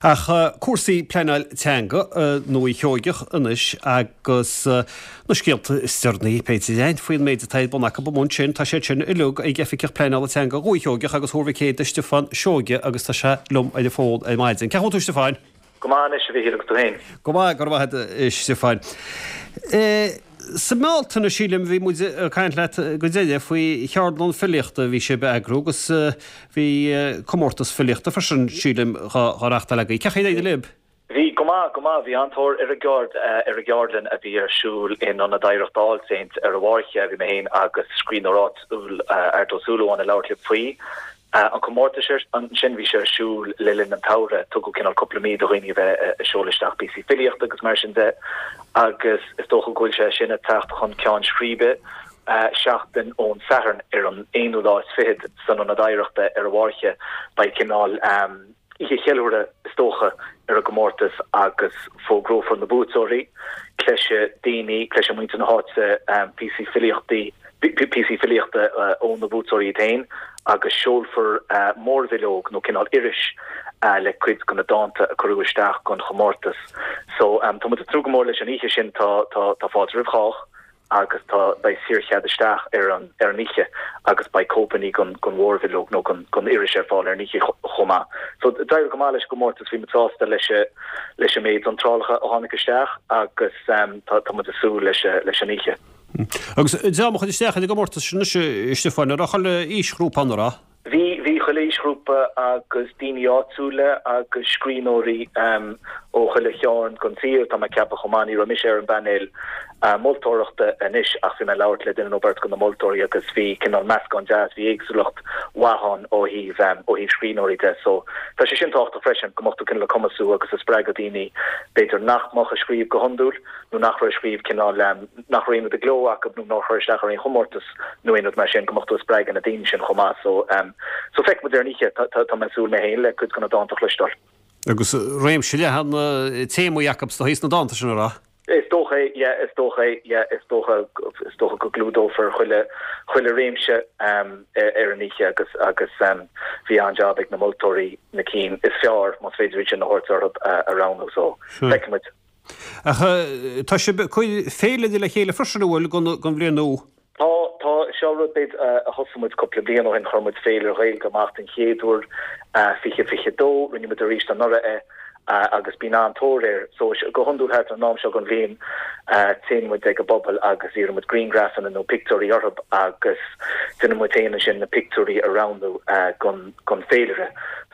Ach cúrsaí pleanáil teanga i nDúiche Sheoigeach anois agus na scéalta is deireanaí, b'fhéidir, againn faoin méid atá ar bun acu amuigh ansin. Tá siad sin uilig ag Oifigeach Pleanála Teanga Dhúiche Sheoigeach agus Thuar Mhic Éadaigh, Stiofán Seoige agus tá sé liom ar an bhfón ar maidin. Cén chaoi a bhfuil tú, Stiofáin? Go maith anois, a Mhichíl, agus tú féin? Go maith, go raibh maith agat, a Stiofáin. Sa mBealtaine, sílim, bhí muid ag caint leat go deireadh faoi cheardlann filíochta a bhí sibh a eagrú agus bhí comórtas filíochta freisin, sílim, dhá reachtáil agaibh. Cén chaoi ar éirigh libh? Bhí, go maith, go maith. Bhí an-tóir ar an gceard, ar an gceardlann a bhí ar siúl in Ionad Oidhreachta All Saints ar an bhFáirche. Bhí mé féin agus scríbhneoir áitiúil, Art Ó Súilleabháin, ag labhairt libh faoi. An comórtas ansin, bhí sé ar siúl le linn an tsamhraidh, tugadh cineál cúpla mí do dhaoine a bheith ag seoladh isteach píosaí filíochta agus mar sin de agus is dócha go bhfuil sé sin ag teacht chun ceann scríbe seachtain ón Satharn ar an aonú lá is fichead san Ionad Oidhreachta ar an bhFáirche. Beidh cineál oíche cheiliúrtha is dócha ar an gcomórtas agus fógrófar na buaiteoirí. Cloisfidh daoine, cloisfidh muintir na háite píosaí filíochtaí, píosaí filíochta ó na buaiteoirí iad féin agus seolfar mórbhileog nó cineál iris le cuid de na dánta a cuireadh isteach don chomórtas. So tá muid ag tnúth go mór leis an oíche sin, tá tá fáilte roimh chách. agus tá, beidh saorchead isteach ar an ar an oíche agus beidh cóipeanna den den mhórbhileog nó den den iris ar fáil ar an oíche chomh maith. So d'éirigh go maith leis an gcomórtas, bhí muid sásta leis leis an méid iontrálacha a tháinig isteach agus tá tá muid ag súil leis leis an oíche. Agus dream a chuir isteach ar an gcomórtas sin anois, a Stiofáin, an raibh chuile aoisghrúpa ann, an raibh? Bhí, bhí chuile aoisghrúpa agus daoine áitiúla agus scríbhneoirí ó chuile chearn den tír, tá mé ag ceapadh chomh maith. Ní raibh mise ar an bpainéal moltóireachta anois ach bhí mé ag labhairt le duine nó beirt de na moltóirí agus bhí cineál meascán deas, bhí éagsúlacht mhaith ann ó thaobh, ó thaobh scríbhneoirí de. So tá sé sin tábhachtach freisin, go mbeadh tú cineál ag cumasú agus ag spreagadh daoine b'fhéidir nach mbeadh ag scríobh go hiondúil nó nach raibh ag scríobh cineál, nach raibh aon rud i gcló acu nó nár chuir isteach ar aon chomórtas nó aon rud mar sin, go mbeadh tú ag spreagadh na daoine sin chomh maith. So, so feicfidh muid ar an oíche. Tá, tá, tá mé ag súil mé féin le cuid de na dánta a chloisteáil. Agus réimse leathan téamaí acu is dóigh sna dánta sin, an raibh? Is dócha é, yeah, is dócha é, yeah, is dócha, is dócha go gclúdófar chuile, chuile réimse ar an oíche agus, agus bhí an-jab ag na moltóirí na cinn is fearr, más féidir iad sin a thabhairt orthu, a roghnú. So, feicfidh muid. Ach tá sibh ag cur féilire le chéile freisin, an bhfuil, don bhliain nua? Tá, tá. Seo rud b'fhéidir a thosaigh muid cúpla bliain ó shin, chuir muid féilire Ghaeilge amach den chéad uair, 2022, rinne muid arís anuraidh é agus bíonn an-tóir air. So, go hiondúil thart ar an am seo den bhliain, téann muid ag an bpobal agus iarrann muid grianghrafanna nó pictiúirí orthu agus déanann muid féin ansin na pictiúirí a roghnú don don féilire.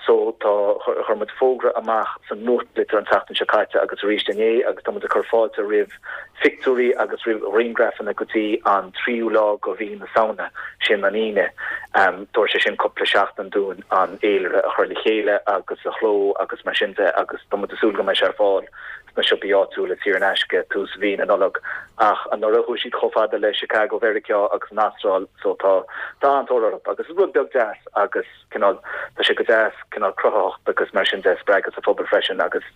So tá, chuir muid fógra amach sa nuachtlitir an tseachtain seo caite agus arís inné agus tá muid ag cur fáilte roimh phictiúirí agus roimh ghrianghrafanna go dtí an tríú lá de mhí na Samhna, sin an Aoine. Tabharfaidh sé sin cúpla seachtain dúinn an fhéilire a chur le chéile agus a chló agus mar sin de agus tá muid ag súil go mbeidh sé ar fáil sna siopaí áitiúla saor in aisce tús mhí na Nollag. Ach anuraidh chuaigh siad chomh fada le Chicago Mheiriceá agus an Astráil so tá tá an-tóir orthu agus is rud beag deas agus cineál tá sé go deas cineál cruthaitheacht agus mar sin de a spreagadh sa phobal freisin agus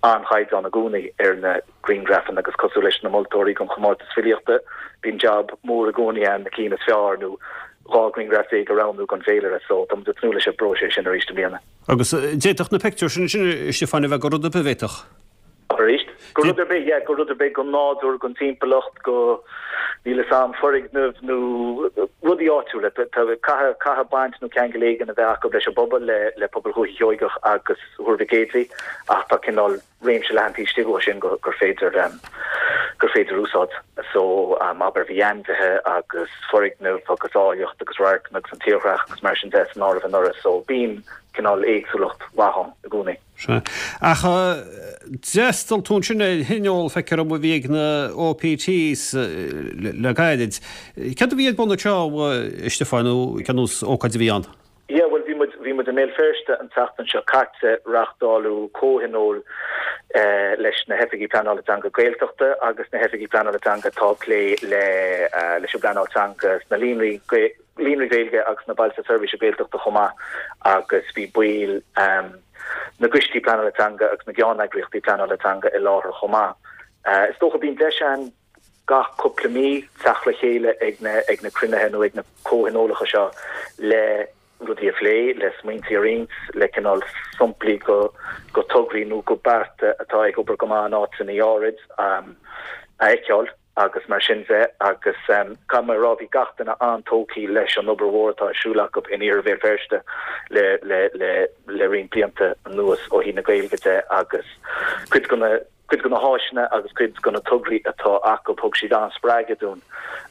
an-chaighdeán i gcónaí ar na grianghrafanna agus cosúil leis na moltóirí don chomórtas filíochta bíonn jab mór i gcónaí ann na cinn is fearr nó 12 ghrianghraf a roghnú don bhféilire so tá muid ag tnúth leis an bpróiseas sin arís i mbliana. Agus d'fhéadfadh na pictiúir sin ansin, a Stiofáin, a bheith de rud ar bith, bhféadfadh? Arís? De rud ar bith, yeah, de rud ar bith, den nádúr, den timpeallacht, de, níl 'fhios a'm, foirgneamh nó rudaí áitiúla. Caithfidh, caithfidh baint nó ceangal éigin a bheith acu leis an bpobal, le, le pobal Dhúiche Sheoigeach agus Thuar Mhic Éadaigh ach tá cineál réimse leathan taobh istigh de sin gur féidir, gur féidir úsáid. So, abair, bhí ainmhithe agus foirgnimh agus áilleacht agus radharcanna agus an tírdhreach agus mar sin de san áireamh anuraidh. So, bíonn cineál éagsúlacht mhaith ann i gcónaí. Sea. Ach d'fhreastail tú ansin ar thionól, feictear dom, a bhí ag na OPTs le gairid. Céard a bhí ar bun anseo, a Stiofáin, nó cén nós ócáid a bhí ann? Yeah, bhuel, bhí muid, bhí muid i mBéal Feirste an tseachtain seo caite, reáchtáladh comhthionól leis na hOifigigh Pleanála Teanga Gaeltachta agus na hOifigigh Pleanála Teanga atá ag plé le, leis an bpleanáil teanga sna líonraí, líonraí Gaeilge agus na Bailte Seirbhíse Gaeltachta chomh maith agus bhí baill na gcoistí pleanála teanga agus na gceanneagraíochtaí pleanála teanga i láthair chomh maith. Is dócha bíonn deis ann gach cúpla mí teacht le chéile ag na ag na cruinnithe nó ag na comhthionólacha seo le. rudaí a phlé, le smaointí a roinnt, le cineál samplaí go tograí nó go bearta atá ag obair go maith in áiteanna áirid a fheiceáil agus mar sin de agus caithfidh mé a rá bhí gach duine an-tógtha leis an obair mhór atá ar siúl acu in Iarthar Bhéal Feirste le le le le roinnt blianta anuas ó thaobh na Gaeilge de agus cuid de na cuid de na háiseanna agus cuid de na tograí atá acu thug siad an-spreagadh dúinn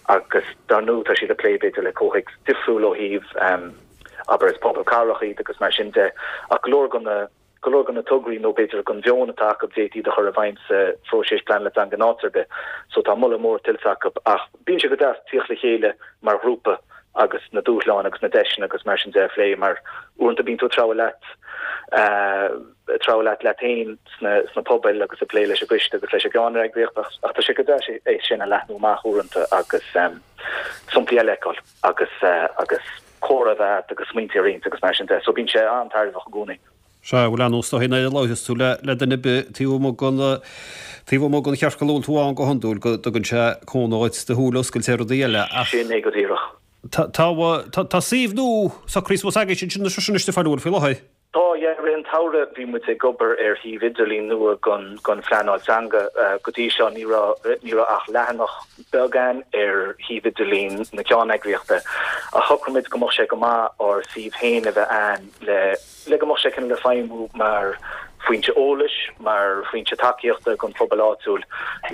agus dar ndóigh tá siad ag plé b'fhéidir le comhthéacs difriúil ó thaobh abair is pobal cathrach iad agus mar sin de ach go leor de na go leor de na tograí nó b'fhéidir den mheon atá acu d'fhéadfaí iad a chur i bhfeidhm sa phróiseas pleanála teanga in áit ar bith. So tá moladh mór tuillte acu ach bíonn sé go deas tíocht le chéile mar ghrúpa agus na dúshláin agus na deiseanna agus mar sin de a phlé mar uaireanta bíonn tú ag treabhadh leat ag treabhadh leat leat féin sna sna pobail agus ag plé leis an gcoiste agus leis an gceanneagraíocht ach ach tá sé go deas é sin a leathnú amach uaireanta agus samplaí eile a fheiceáil agus agus comhrá a bheith agat agus smaointe a roinnt agus mar sin de. So bíonn sé an-tairbheach i gcónaí. Sea, bhuel ar ndóigh is dóigh nuair a labhraíos tú le le duine ar bith taobh amuigh den taobh amuigh den chiorcal a bhfuil tú ann go hiondúil go dtugann sé cúnamh dhuit do shúile a oscailt ar rudaí eile ach Sin é go díreach. tá tá tá suíomh nua socraithe suas agaibhse ansin anois a Stiofáin an bhfuil faoi láthair? Tá, yeah. I rith an tsamhraidh bhí muid ag obair ar shuíomh idirlín nua don don phleanáil teanga. Go dtí seo ní raibh ní raibh ach leathanach beag ann ar shuíomh idirlín na ceanneagraíochta. Ach shocraigh muid go mbeadh sé go maith ár suíomh féin a bheith ann le le go mbeadh sé cineál ag feidhmiú mar foinse eolais, mar foinse tacaíochta don phobal áitiúil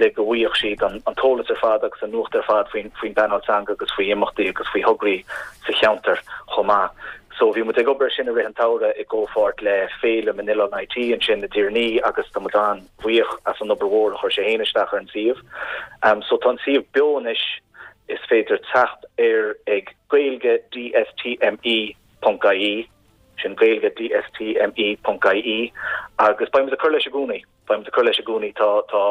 le go bhfaigheadh siad an an t-eolas ar fad agus an nuacht ar fad faoin faoin bpleanáil teanga agus faoi imeachtaí agus faoi thograí sa cheantar chomh maith. So bhí muid ag obair ar sin i rith an tsamhraidh i gcomhpháirt le Féilim in Oileán IT ansin i dTír an Fhia agus tá muid an-bhuíoch as an obair mhór a chuir sé féin isteach ar an suíomh. So tá an suíomh beo anois, is féidir teacht air ag gaeilge dstme ponc ie, sin gaeilge dstme ponc ie agus beidh muid ag cur leis i gcónaí. Beidh muid ag cur leis i gcónaí. Tá, tá,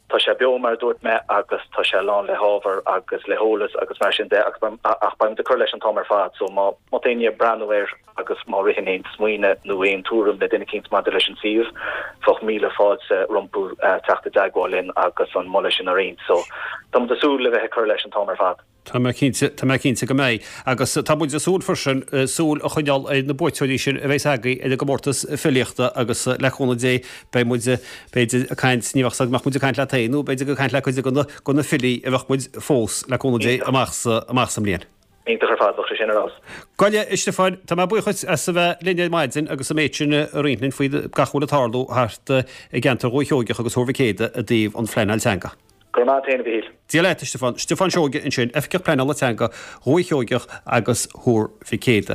tá sé beo mar a dúirt mé agus tá sé lán le hábhar agus le heolas agus mar sin de agus beidh, ach beidh muid ag cur leis an t-am ar fad so má, má tá éinne ag breathnú air agus má ritheann aon smaoineamh nó aon tuairim le duine eicínt maidir leis an suíomh, bheadh míle fáilte rompu teacht i dteagmháil linn agus an moladh sin a roinnt. So tá muid ag súil le bheith ag cur leis an t-am ar fad. Tá mé cinnte, tá mé cinnte go mbeidh. Agus tá muid ag súil freisin súil a choinneáil ar na buaiteoirí sin a bheas agaibh ar an gcomórtas filíochta agus le cúnamh Dé beidh muid, b'fhéidir, ag caint, ní bheadh 's agam an mbeadh muid ag caint leat féin nó b'fhéidir ag caint le cuid de na, na filí a bheadh muid fós, le cúnamh Dé, amach sa, amach sa mbliain. Iontach ar fad, bheadh sé sin ar fheabhas. Gabh i leith, a Stiofáin, tá mé buíoch dhuit as a bheith linn ar maidin agus an méid sin a roinnt linn faoi gach a bhfuil ag tarlú thart i gceantar Dhúiche Sheoigeach agus Thuar Mhic Éadaigh i dtaobh an phleanáil teanga. Go raibh maith agat féin, a Mhichíl. Dia leat, a Stiofáin. Stiofán Seoige ansin, Oifigeach Pleanála Teanga Dhúiche Sheoigeach agus Thuar Mhic Éadaigh.